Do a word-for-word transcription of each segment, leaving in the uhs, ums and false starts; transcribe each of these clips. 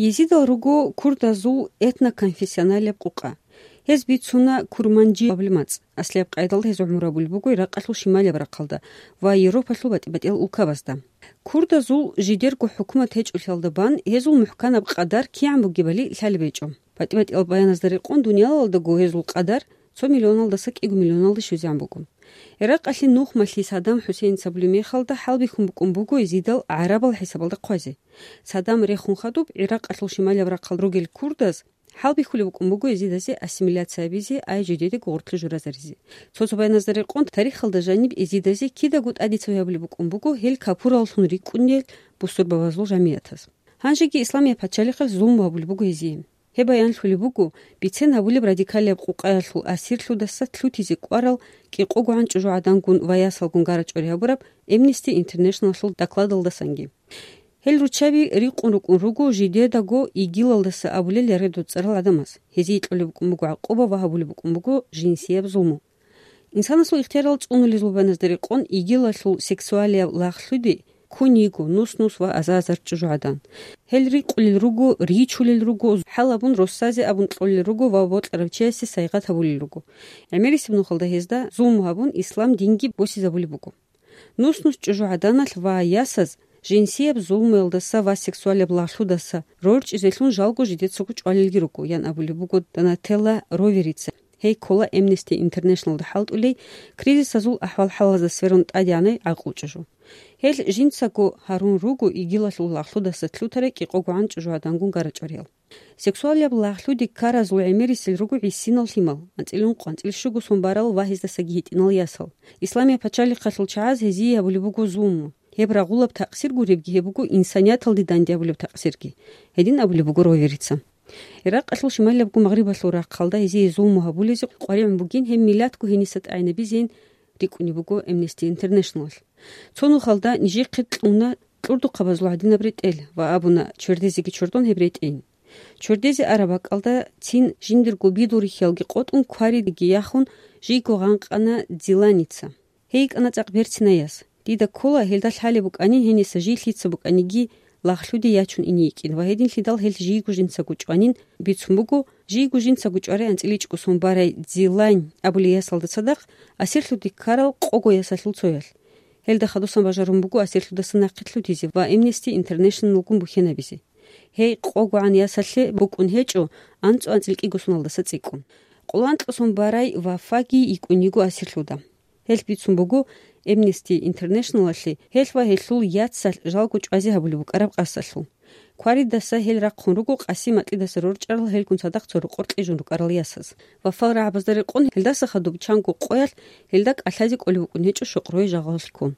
Езидал руго курдазул этноконфессионалияб къукъа. Гьез бицуна Курманжи абулеб мацӀ. Аслияб къайдалда гьез гӀумру гьабулеб буго Иракъалъул шималияб рахъалда ва Европалъул батӀи-батӀиял улкабазда. Курдазул жидерго хӀукумат гьечӀолъиялда бан гьезул мухӀканаб къадар кигӀан бугебали лъалеб гьечӀо. БатӀи-батӀиял баяназда рекъон, дуниялалдаго гьезул къадар цо миллионалдаса кӀиго миллионалде щвезегӀан буго. Иракъалъе нухмалъи Саддам ХӀусейница абулеб мехалда хӀалбихьун букӀун буго Езидал гӀарабал хӀисабалда хъвазе. Саддам рехун хадуб, Иракъалъул шималияб рахъал ругел курдаз хӀалбихьулеб букӀун буго Езидазе ассимиляция гьабизе, ай жидедаго гъоркье журазаризе. Цо-цо баяназда рекъон, тарихалда жаниб Езидазе кидаго тӀадицаби гьабулеб букӀун буго гьел капураллъун рикӀкӀунел бусурбабазул жамигӀатаз. Гьанжеги Исламияб пачалихъалъ зулму гьабулеб буго гьезие. Гьеб баянлъулеб буго бицен гьабулеб радикалияб къукъаялъул асирлъудаса лъутизе кӀварал кӀикъогогӀан чӀужугӀадангун ва ясалгун гара-чӀвари гьабураб Amnesty International-алъул докладалдасанги. Гьел руччаби рикъун рукӀун руго жидедаго ИГИЛалдаса абулел яргъи доцӀцӀарал гӀадамаз. Гьезие кьолеб букӀун буго гӀакъуба ва гьабулеб букӀун буго жинсияб зулму. Инсанасул ихтиярал цӀунулел зулбаназда рекъон ИГИЛалъул сексуалияб лагълъуди ккун йиго нус-нус ва азар-азар чӀужугӀадан. Гьел рикъулел руго, ричулел руго, хӀалабун росазе абун кьолел руго ва бокьарав чиясе сайгъат гьабулел руго. ГӀемерисеб нухалда гьезда зулму гьабун, ислам динги босизабулеб буго. Нус-нус чӀужугӀаданалъ ва ясаз жинсияб зулмуялдаса ва сексуалияб лагълъудаса рорчӀизелъун жалго жидецаго чӀвалелги руго, ян абулеб буго Донателла Роверица. Гьей ккола Amnesty International-да хӀалтӀулей, кризисазул ахӀвал-хӀалазда сверун тӀадегӀанай гӀакълу чӀужу. Гьел жинцаго гьарун руго ИГИЛалъул лагълъудаса лъутарай кӀикъогогӀан чӀужугӀадангун гара-чӀвариял. Сексуалияб лагълъуди ккаразул гӀемерисел руго гӀисинал лъимал, анцӀила ункъо, анцӀила щуго сон барал ва гьездасаги гьитӀинал ясал. Исламияб пачалихъалъул чагӀаз гьезие гьабулеб буго зулму. Гьеб рагъулаб такъсир гуребги, гьеб буго инсанияталде данде гьабулеб такъсирги. Гьедин абулеб буго Роверица. Иракъалъул шималиябго Магърибалъул рахъалда гьезие зулму гьабулезе къваригӀун бугин гьеб миллатго гьениса тӀагӀинабизейин рикӀкӀунеб буго Amnesty International-алъ. Цо нухалда нижехъе кьуна кьурдухъабазул гӀадинаб ретӀел ва абуна чвердезеги чордон гьеб ретӀейин. Чвердезе араб бакӀалда цин жиндирго бидул рихьиялги къотӀун, кваридаги яхун, жийго гъанкъана Дзиланица. Гьей йикӀана цӀакъ берцинай яс. Дида ккола, гьелда лъалеб букӀанин гьениса жий лъица букӀаниги лагълъуде ячун ине йикӀин ва гьединлъидал гьел жийго жинцаго чӀванин бицун буго, жийго жинцаго чӀварай анцӀила ичӀго сон барай Дзилань абулей ясалда цадахъ асирлъуде ккарал къого ясалъул цоялъ. Гьелда хадусан бажарун буго асирлъудаса нахъе лъутизе ва Amnesty International-гун бухьенабизе. Гьей къогогӀан ясалъе букӀун гьечӀо анцӀу-анцӀила кӀиго соналдаса цӀикӀкӀун. Къоло анкьго сон барай Вафаги йикӀун йиго асирлъуда. Гьелъ бицун буго Amnesty International-алъе гьелъ ва гьелъул яцалъ жалго чӀвазе гьабулеб букӀараб къасалъул. Кваридаса гьел рахъун руго Къасим-МатӀидаса рорчӀарал гьелгун цадахъ цо рокъор кьижун рукӀарал ясаз. Вафал рагӀабазда рекъон гьелдаса хадуб чанго къоялъ гьелда кӀалъазе кӀолеб букӀун гьечӀо Шукъруе жагъаллъун.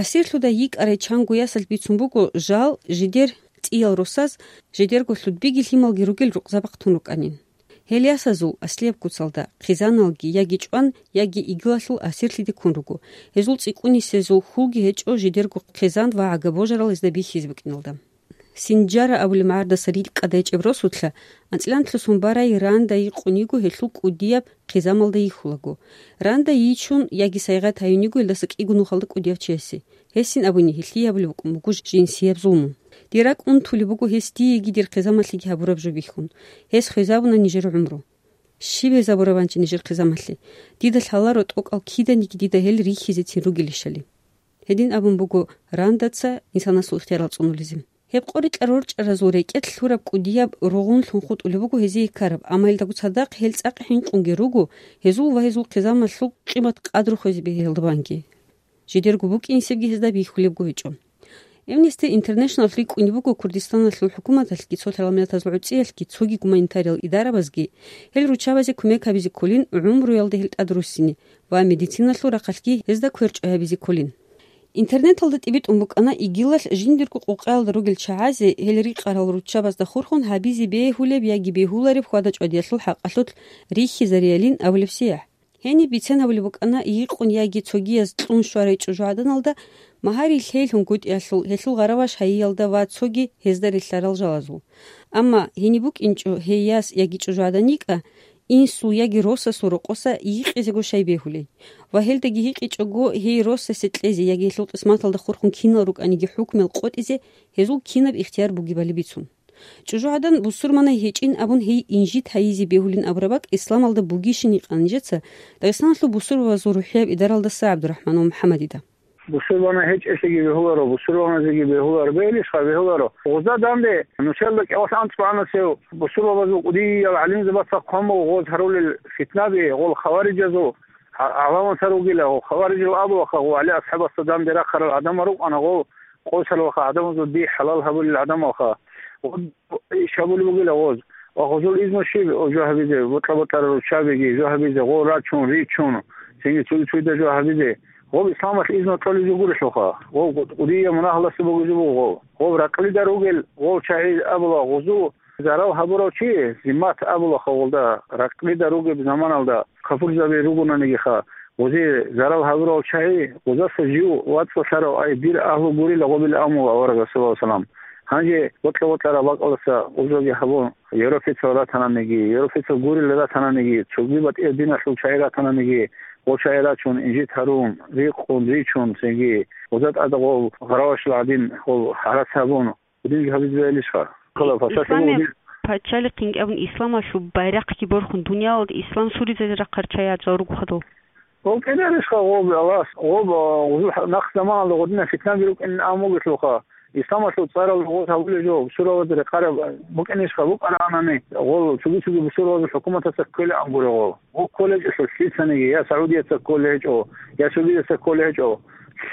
Асирлъуда йикӀарай чанго ясалъ бицун буго жал жидер цӀиял росаз, жидерго лъудбиги лъималги ругел рукъзабахъ тун рукӀанин. Гьел ясазул аслияб куцалда хъизаналги яги чӀван, яги игилалъул асирлъиде ккун руго. Гьезул цӀикӀкӀунисезул хьулги гьечӀо жидерго хъизан ва гӀага-божарал гьезда бихьизе букӀиналда. Синжара абулеб магӀардаса рикӀкӀад гьечӀеб росулъа анцӀила анкьго сон барай Ранда йикъун йиго гьелъул кӀудияб хъизамалда йихьулаго. Ранда йичун яги сайгъат гьаюн йиго гьелдаса кӀиго нухалда кӀудияв чиясе. Гьесин абуни, гьелъие гьабулеб букӀун буго жинсияб зулму. Дир ракӀ унтулеб буго гьес диеги дир хъизамалъеги гьабураб жо бихьун. Гьес хвезабуна нижер гӀумру. Щиб гьезабурабанчи нижер хъизамалъе? Дида лъаларо тӀокӀал киданиги дида гьел рихьизецин ругелищали. Гьедин абун буго Рандаца инсанасул ихтиярал цӀунулезе. Гьеб къорикьа рорчӀаразул рекӀелъ лъураб кӀудияб ругъунлъун хутӀулеб буго гьезие ккараб, амма гьелдаго цадахъ гьел цӀакъ хӀинкъунги руго, гьезул ва гьезул хъизамалъул къимат-къадру хвезе бегьулеб банги. Жидерго букӀинсебги гьезда бихьулебго гьечӀо. Amnesty International рикӀкӀунеб буго Курдистаналъул хӀукуматалъги, цо лъалмилатазул гӀуцӀиялъги, цоги гуманитариал идарабазги гьел руччабазе кумек гьабизе кколин, гӀумруялда гьел тӀадруссине ва медициналъул рахъалъги гьезда кверчӀой гьабизе кколин. Интернеталда тӀибитӀун букӀана игилалъ жиндирго къукъаялда ругел чагӀазе гьел рикъарал руччабазда хурхун гьабизе бегьулеб яги бегьулареб хьвада-чӀвадиялъул хӀакъалъулъ рихьизариялин абулеб сияхӀ. Гьениб бицен гьабулеб букӀана йикъун яги цогияз кьун щварай чӀужугӀаданалда, магьари лъейлъун гутӀиялъул, гьелъул гъараваш гьайиялда ва цоги гьезда релълъарал жалазул. Амма гьениб букӀинчӀо гьей яс яги чӀужугӀадан йикӀа, инсул яги росасул рокъоса йикъизего щай бегьулей. Ва гьелдаги гьикъичӀого гьей росасе кьезе яги гьелъул къисматалда хурхун кинал рукӀаниги хӀукмуял къотӀизе гьезул кинаб ихтияр бугебали бицун. ЧӀужугӀадан бусурманай гьечӀин абун гьей инжит гьайизе бегьулин абураб бакӀ исламалда бугищин гьикъана нижеца Дагъистаналъул бусурбабазул рухӀияб идаралдаса ГӀабдурахӀманов МухӀаммадида. Бусурбанай гьечӀелъиги бегьуларо, бусурбаназеги бегьуларо, бегьилищха бегьуларо. Гъузда данде нучелда кӀалъан цӀванасев бусурбабазул кӀудиял гӀалимзабаца хъван буго гъоз гьарулел фитнаби, гъол хаварижазул гӀа-, гӀаламатар ругила, гъол хаварижал абулаха, гъол ГӀали асхӀабасда данде рахъарал гӀадамал рукӀана, гъол къосаралха гӀадамазул дихӀ хӀалал гьабулел гӀадамалха. Гъоб иш гьабулеб бугила гъоз. Ва гъозул изну щиб жо гьабизе, бокьа-бокьарал руччабиги жо гьабизе, гъол рачун, ричун, цинги цуги-цугида жо гьабизе. Гъоб исламалъ изну кьолеб жо гурелъулха. Гъоб кӀудияв мунагьалдаса бугеб жо буго гъоб. Гъоб ракълида ругел гъол чагӀи абула гъозу зарал гьабурав чи, зиммат абулаха гъолда, ракълида ругеб заманалда капурзаби ругонанигиха, гъозе зарал гьабурал чагӀи, гъозаса жив вацӀцӀалъарав, ай, дир агьлу гурила гъобил амула аварагас, саллаллагьу гӀалайгьи ва саллам. Гьанже бокьа-бокьараб бакӀалдаса гъозоги гьабун, европецал ратананиги, европецал гурила ратананиги, цоги батӀияб диналъул чагӀи ратананиги, гъо чагӀи рачун, инжит гьарун, рикъун, ричун, цинги гъоза тӀада гъол гъаравашал гӀадин гъол гьарац гьабун, гьудинги гьабизе бегьилищха? Кала пасалъугу Исламияб гьудин. Пачалихъинги абун, исламалъул байрахъги борхун, дуниялалда ислам суризе рахъарал чагӀи гьечӀал руго хадув. Гъоб кӀидарищха гъоб, Аллагьас, гъоб, а, гъузул хӀа-, нахъ заманалда гъодинаб фитнаби рукӀин амугелъулха, исламалъул цӀарал гъоз гьабулеб жо, бусурбабазда рекъараб букӀинищха, букӀараанани, гъол цоги-цоги бусурбабазул хӀукуматаца кколеб ан гуро гъол. Гъо кколеб гьечӀо лъицаниги, я Саудияца кколеб гьечӀо, я цогидаса кколеб гьечӀо,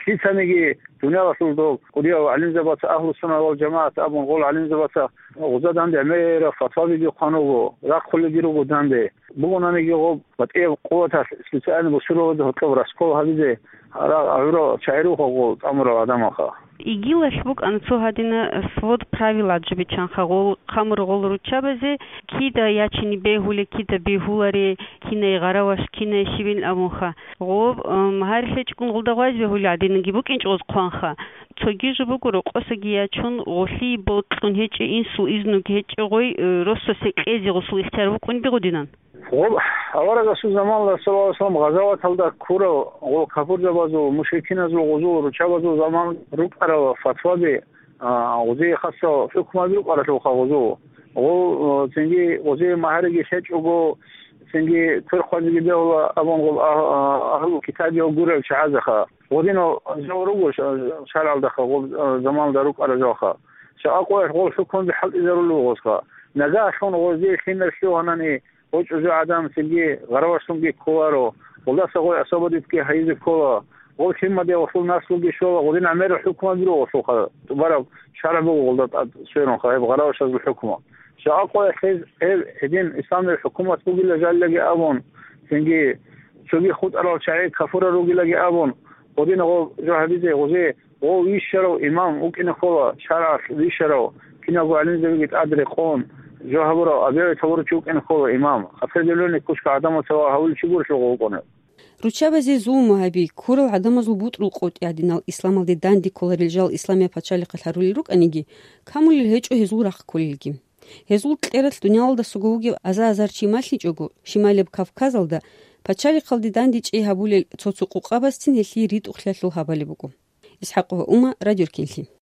лъицаниги дуниялалъул доб кӀудиял гӀалимзабаца, Агьлу-сунна вал жамагӀат абун гъол гӀалимзабаца гъуза данде гӀемераб фатвабиги хъван руго, рахъулелги руго данде. Бугонаниги гъоб батӀияб къуваталъ специально бусурбабазда гьоркьоб раскол гьабизе гьарал гӀурал чагӀи руго гъол тӀамурал гӀадамалха. Игилалъ букӀана цо гьадина свод правил гьаб жо биччанха, гъол хъамур гъол руччабазе кида ячине бегьулеб, кида бегьуларе, кинай гъараваш, кинай щибин абунха. Гъоб, м, гьарилъ гьечӀогун гъолда гъвайзе бегьулеб гӀадинги букӀинчӀо гъоз хъванха. Цоги жо буго, рокъосаги ячун, гъолъие бокьун гьечӀеб, инсул изнуги гьечӀеб, гъой, э, росасе кьезе гъосул ихтияр букӀунеб гъодинан. Гъоб, аварагасул заманалда, саллаллагьу гӀалайгьи ва саллам, гъазаваталда ккурал гъол капурзабазул, мушрикиназул гъозул руччабазул заман рукӀарал фатваби, а, гъозие хасал хӀукмаби рукӀаралъулха гъозул. Гъол, а, цинги гъозие магьариги лъечӀого, цинги квер хъвазеги бегьула абун гъол агь-, а, агьлу китабиял гурел чагӀазаха. Гъодинал жал руго ша-, шаргӀалдаха, гъол, а, заманалда рукӀарал жалха. Ша акъваялъ гъол хӀукмаби хӀалтӀизарулел гъозха. Нагагьлъун гъозие лъимер лъугьанани, гъо чӀужугӀадан цинги гъаравашлъунги кколаро, гъолдаса гъой особо дитги гьайизе ккола, гъол лъимаде гъолъул наслуги щола, гъодин гӀемерал хӀукмаби руго гъолъулха, тӀубараб шаргӀ буго гъолда тӀад сверунха гьеб гъаравашазул хӀукму. Ша акъваялъ гьез гьеб гьедин исламияб хӀукумат бугила жалилаги абун, цинги цоги хутӀарал чагӀи кафурал ругилаги абун, гъодин гъо жо гьабизе гъозе Гъов вищарав имам вукӀине ккола, шаргӀалъ вищарав, киналго гӀалимзабиги тӀад рекъон, жо гьабурав, объявить гьабурав чи вукӀине ккола имам, определённый кучка гӀадамаца ва гьавулев чи гурелъул гъов вукӀунев. Руччабазе зулму гьаби, ккурал гӀадамазул бутӀрул къотӀи гьадинал исламалде данде кколарел жал исламияб пачалихъалъ гьарулел рукӀаниги, камулел гьечӀо гьезул рахъ кколелги. Гьезул кьералъ дуниялалдасаго вугев аза-азар чи малъичӀого, Шималияб Кавказалда пачалихъалде дандечӀей гьабулел цо-цо къукъабазцин гьелъие ритӀухълъиялъул гьабалеб буго. ИсхӀакъова Ума, Радио Ркенлъи.